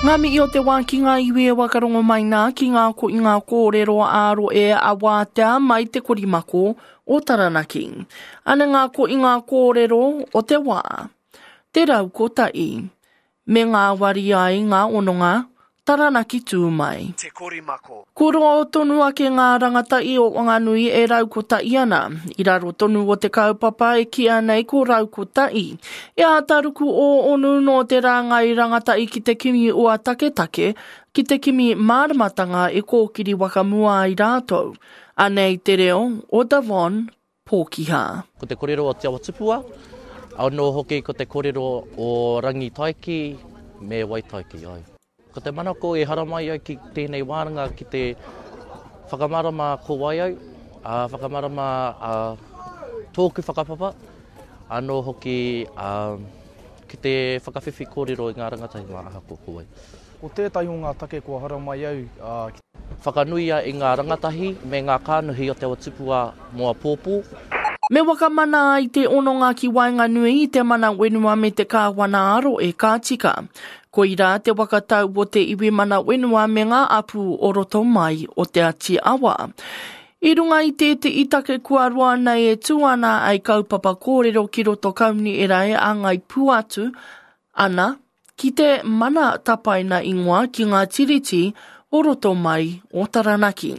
Ngā mihi o te wā ki ngā iwi e wakarongo mai nā ki ngā ko i ngā kōrero ā-roe a Wātea mai te korimako o Taranaki. Ana ngā ko i ngā kōrero o te wā. Te raukotahi. Me ngāwari ai ngā hononga, Taranaki tū mai. Te korimako. Ko roa tonu ake ngā rangatahi o Wanganui e raukotahi ana, i raro tonu o te kaupapa e kīia nei ko Raukotahi. E āta ruku ō onu nō te rāngai rangatahi ki te kimi ua taketake, ki te kimi māramatanga e kōkiri whakamua ai rātou. Anei te reo o Devon Pōkiha. Ko te korero o Te Awa Tupua, anō hoki ko te korero o Rangitaiki me Waitaiki. Ai. Ko te manako e haramai au ki tēnei wānanga ki te whakamarama ko wai au, ā, whakamarama ā, tōku whakapapa, anō hoki ā, ki te whakawhiwhi kōrero i ngā rangatahi mā ahakoa ko wai. Ko tētahi o ngā take kua haramai au ki. Whakanuia i ngā rangatahi me ngā kānuhi o Te Awa Tupua mō apōpō. Me whakamana ai te hononga ki waenganui i te mana whenua me te kāwana ā-rohe ka tika. Koirā te waka tau o te iwi mana whenua me ngā apu o roto mai o Te Ati Awa. I runga i tētehi take kua roa nei e tū ana ai kaupapa kōrero ki roto kaunihera e āngai pū atu ana, Ki te mana tapaina ingoa ki ngā tiriti o roto mai o Taranaki.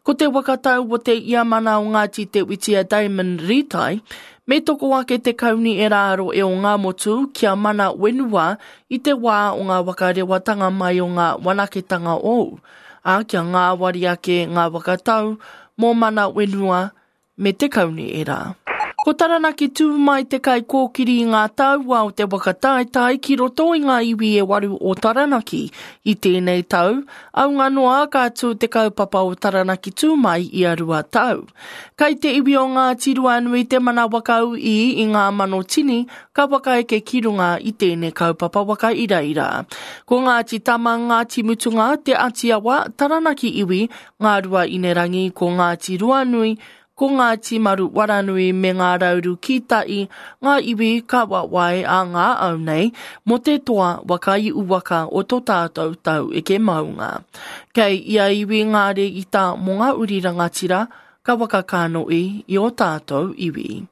Ko te waka tau o te ia mana o Ngāti Te Witi a Damon Ritai, me toko ake te kauni e rāro e o Ngāmotu kia mana whenua i te wā o ngā waka rewatanga mai o ngā wanaketanga ou, ā, kia ngāwari ake ngā waka tau mō mana whenua me te kaunihera. Ko Taranaki tū mai te kaikōkiri i ngā taua o te waka taetae ki roto i ngā iwi e waru o Taranaki. I tēnei tau, aunga noa ka tū te kaupapa o Taranaki tū mai ia rua tau. Kai te iwi o Ngāti Ruanui te mana wakaū i ngā mano tini ka whakaeke ki runga i tēnei kaupapa waka iraira. Ko Ngāti Tama, Ngāti Mutunga, Te Atiawa, Taranaki iwi, Ngā Rua Inerangi, ko Ngāti Ruanui, ko Ngāti Maru Waranui me Ngā Rauru Kīta'i ngā iwi ka wawae a ngā au nei mō te toa waka i uwaka o to tātou tau eke maunga. Kei ia iwi ngā rēita mō ngā uri rangatira ka wakakānoʻi i o tātou iwi.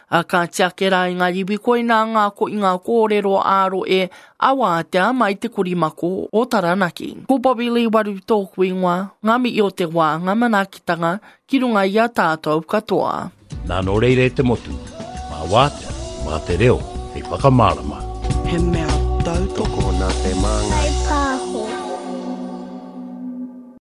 A ka tiake rā i ngā iwi koinā ngā ko i ngā kōrero ā-roe a wātea mai te korimako o Taranaki. Ko Bobby Lee Waru tōku ingoa, ngā mihi o te wā, ngā manaakitanga ki runga i a tātou katoa. Nā nō reira e te motu, mā wātea, mā te reo hei whakamārama. He mea tautoko Tokona te māngai. Kaipāho.